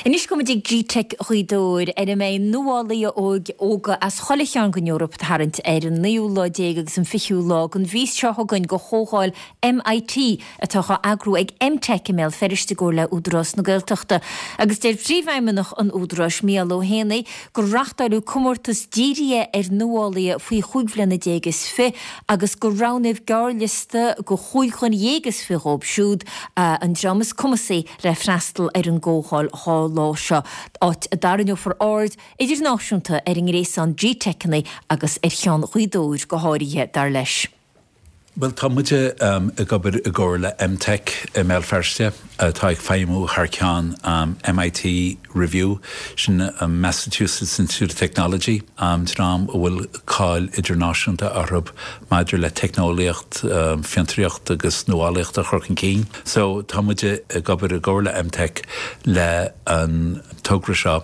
Anois gabhfaidh muid ag Gteic Ghaoth Dobhair, ar a mbeidh nuálaithe óga as chuile chearn den Eoraip ag tarraingt ar an naoú lá déag agus an fichiú lá den mhí seo chugainn go Chomhdháil MIT atá á eagrú ag EmTech i mBéal Feirste i gcomhar le Údarás na Gaeltachta. Agus deir Príomhfheidhmeannach an Údaráis, Mícheál Ó hÉanaí, gur reachtáileadh comórtas dírithe ar nuálaithe faoi chúig bhliana déag is fi agus gur roghnaíodh gearrliosta de chúig dhuine dhéag is fi dhóibh siúd, an dream is cumasaí le freastal ar an gcomhdháil dha lá seo, áit a dtarraingeofar aird idirnáisiúnta ar an ngréasán GTeiceanna agus ar cheann Ghaoth Dobhair go háirithe, dar leis. Bhuel, tá muide ag obair i gcomhar le EmTech i mBéal Feirste, atá ag feidhmiú thar ceann MIT Review, sin Massachusetts Institute of Technology, dream a bhfuil cáil idirnáisiúnta orthu maidir le teicneolaíocht, fiontraíocht agus nuálaíocht a chur chun cinn. So, tá muide ag obair i gcomhar le EmTech le an togra seo,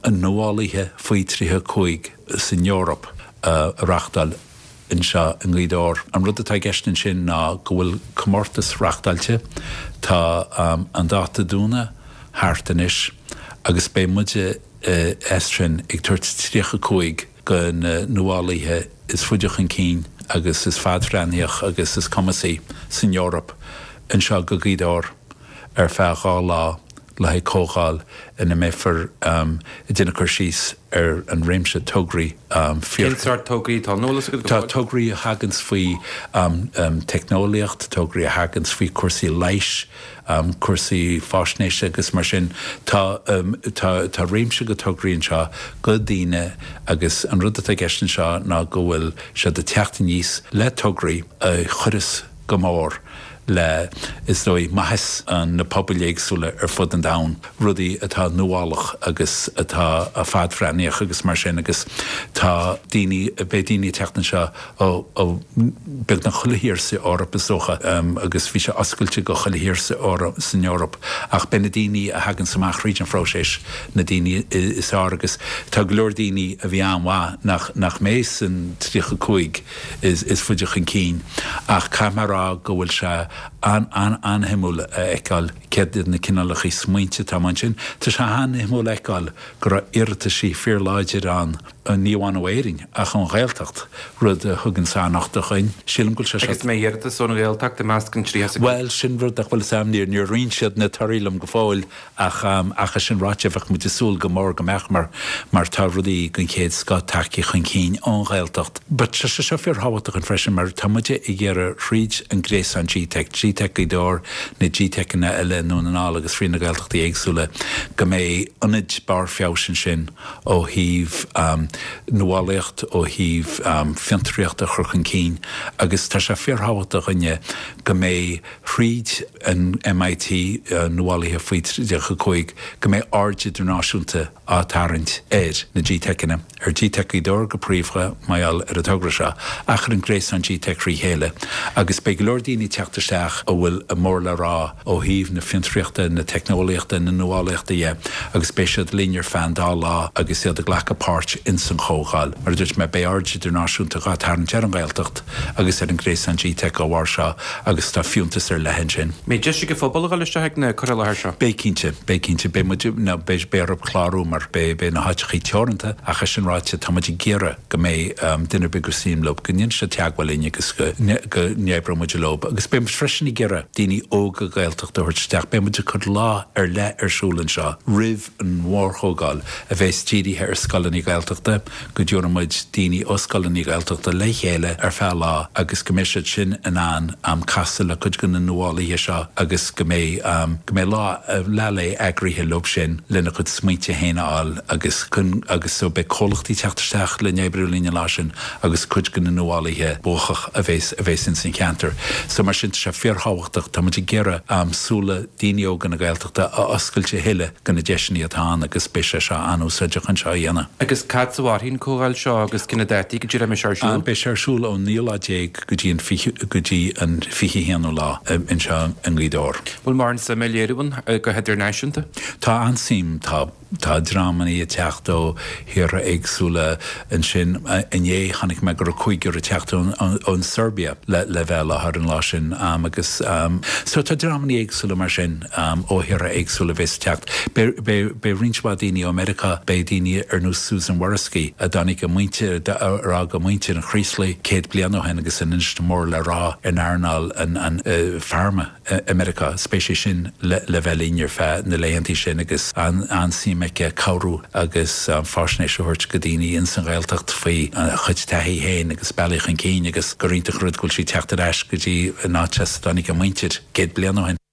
Nuálaithe Faoi 35 san Eoraip, a reachtáil. anseo i nGaoth Dobhair. An rud atá i gceist ansin ná go bhfuil comórtas reachtáilte, tá an dáta dúnadh thart anois agus beidh muide as sin ag tabhairt 35 de na nuálaithe is faide chun cinn agus is fadbhreathnaíoch agus is cumasaí san Eoraip anseo go Gaoth Dobhair ar feadh 2 lá le haghaidh comhdháil ina mbeifear ag déanamh cur síos ar an réimse tograí fíor. Cén sórt tograí atá ann? An bhfuil fhios agat go Tá fóill? tograí a thaganns faoi teicneolaíocht, tograí a thaganns faoi cúrsaí leighis, cúrsaí fáisnéise agus mar sin. Tá tá tá réimse de tograí anseo do daoine agus an rud atá i gceist anseo ná go bhfuil siad ag teacht aníos le tograí a chuireas go mór le, is dóigh, maitheas na pobail éagsúla ar fud an domhain, rudaí atá nuálach agus atá fadbhreathnaíoch agus mar sin agus tá daoine, beidh daoine ag teacht anseo ó beagnach chuile thír sa Eoraip is dócha agus bhí sé oscailte go chuile thír san Eoraip ach beidh na daoine a thaganns amach thríd an phróiseas na daoine is fearr agus tá go leor daoine a bhí an-mhaith nach nach mbeidh san 35 is faide chun cinn ach caithfidh mé a rá go bhfuil sé an-an-an-shuimiúil a fheiceáil céard iad na cineálacha smaointe atá amuigh ansin. Tá sé an-shuimiúil a fheiceáil go raibh iarrataisí fíorláidir ann, ní amháin ó Éirinn ach ón Ghaeltacht, rud a thugann an-nochtadh dhuinn. Sílim go bhfuil sé seo. Agus an mbeidh iarratas ón Ghaeltacht i measc an 35? Bhuel, sin rud nach bhfuil fhios a'm, níor roinn siad na torthaí liom go fóill. Ach, ach é sin ráite, bheadh muid ag súil go mór go mbeadh mar, mar tá rudaí den chéad scoth tagtha chun cinn ón Ghaeltacht. But tá sé seo fíorthábhachtach dúinn freisin mar tá muide ag iarraidh thríd an gréasán GTeic, GTeic Gaoth Dobhair, na GTeiceanna eile i nDún na nGall agus fríd na Gaeltachtaí éagsúla, go mbeidh ionaid barr feabhais ansin ó thaobh nuálaíocht, ó thaobh fiontraíocht a chur chun cinn agus tá sé fíorthábhachtach dúinne go mbeidh thríd an MIT, Nuálaithe Faoi 35, go mbeidh aird idirnáisiúnta á tarraingt ar na GTeiceanna, ar GTeic Ghaoth Dobhair go príomha, mar gheall ar an togra seo, ach ar an gréasán GTeic thrí chéile. Agus beidh go leor daoine ag teacht isteach a bhfuil a mór le rá ó thaobh na fiontraíochta, na teicneolaíochta, na nuálaíochta dhe, agus beidh siad linn ar feadh an dá lá agus iad ag glacadh páirt ins an chomhdháil. Mar a dúirt mé, beidh aird idirnáisiúnta dhá tarraingt ar an Ghaeltacht agus ar an ngréasán GTeic dá bharr seo. agus tá fiúntas ar leith ansin. Mbeidh deis ag an phobal a dhul isteach ag na cur i láthair seo? Beidh cinnte, beidh cinnte. Beidh muid, nó beidh, beidh orthu clárú mar beidh, beidh na háiteachaí teoranta ach é sin ráite tá muid ag iarraidh go mbeidh duine ar bith gur suim leo go ndéanfaidh siad teagmháil linn agus go, go n-oibreoidh muid leo. Agus beidh muid freisin ag iarraidh daoine óga Gaeltachta a thabhairt isteach. Beidh muid ag cur lá ar leith ar siúl anseo roimh an mhórchomhdháil a bheas dírithe ar scoileanna Gaeltachta, go dtabharfaidh muid daoine ó scoileanna Gaeltachta le chéile ar feadh lá agus go mbeidh siad sin in ann casadh le cuid de na nuálaithe seo agus go mbeidh go mbeidh lá leath lae eagraithe leo sin lena gcuid smaointe féin a fháil agus chun agus so beidh comhlachtaí ag teacht isteach le n-oibriú linn an lá sin agus cuid de na nuálaithe buacach a bheas a bheas ins an cheantar. So mar sin tá sé fíorthábhachtach, tá muid ag iarraidh súile daoine óga na Gaeltachta a oscailt a thuilleadh do na deiseanna atá ann agus beidh sé seo an-úsáideach chun seo a dhéanamh. Agus cá fhad a mhairfidh an comhdháil seo agus cé na dátaí go díreach a mbeidh sé ar siúl? Beidh sé ar siúl ón naoú lá déag go dtí an go dtí an 21ú lá anseo i nGaoth Dobhair. Bhfuil mórán suime á léiriú ann go hidirnáisiúnta? Tá an-suim, tá. Tá dreamanna ag teacht ó thíortha éagsúla ansin. Inné chonaic mé go raibh cúigear ag teacht ón Serbia le bheith i láthair an lá sin. Agus so tá dreamanna éagsúla mar sin ó thíortha éagsúla a bheas ag teacht. Beidh roinnt mhaith daoine ó Meiriceá, beidh daoine ar nós Susan Waraski a dtáinig a muintir, ar fhág a muintir an Chraoslaigh 100 bliain ó shin agus anois mór le rá in earnáil an pharma. i Meiriceá. Is beidh sí sin le bheith linn ar feadh na laethantaí sin agus an-suim aici cabhrú agus faisnéis a thabhairt go daoine ins an Ghaeltacht faoi a cuid taithí féin agus bealaí chun cinn agus gur iontach an rud go bhfuil sí ag teacht ar ais go dtí an áit as a dtáinig a muintir 100 bliain ó shin.